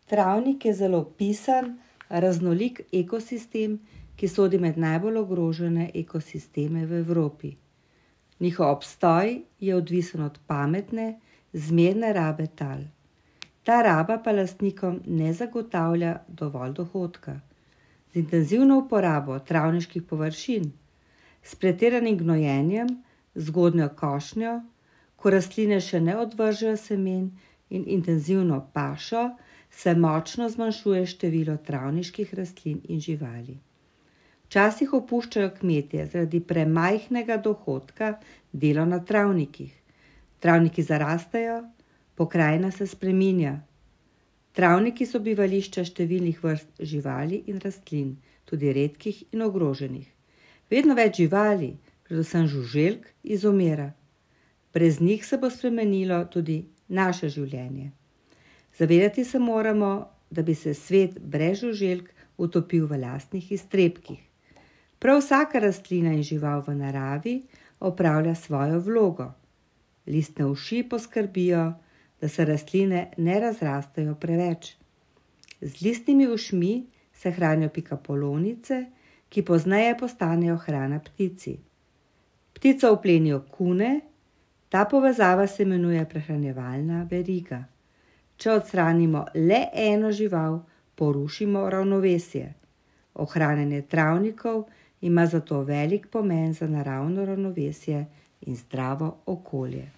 Travnik je zelo pisan, raznolik ekosistem, ki sodi med najbolj ogrožene ekosisteme v Evropi. Njihov obstoj je odvisen od pametne, zmerne rabe tal. Ta raba pa lastnikom ne zagotavlja dovolj dohodka. Z intenzivno uporabo travniških površin, s pretiranim gnojenjem, zgodnjo košnjo, ko rastline še ne odvržejo semen in intenzivno pašo, se močno zmanjšuje število travniških rastlin in živali. Včasih opuščajo kmetje zaradi premajhnega dohodka delo na travnikih. Travniki zarastejo, pokrajina se spreminja. Travniki so bivališča številnih vrst živali in rastlin, tudi redkih in ogroženih. Vedno več živali, predvsem žuželk, izumira. Brez njih se bo spremenilo tudi naše življenje. Zavedati se moramo, da bi se svet brez žuželk utopil v lastnih iztrebkih. Prav vsaka rastlina in žival v naravi opravlja svojo vlogo. Listne uši poskrbijo, da se rastline ne razrastejo preveč. Z listnimi ušmi se hranijo pikapolonice, ki pozneje postanejo hrana ptici. Ptico vplenijo kune, ta povezava se imenuje prehranjevalna veriga. Če odstranimo le eno žival, porušimo ravnovesje. Ohranjanje travnikov ima zato velik pomen za naravno ravnovesje in zdravo okolje.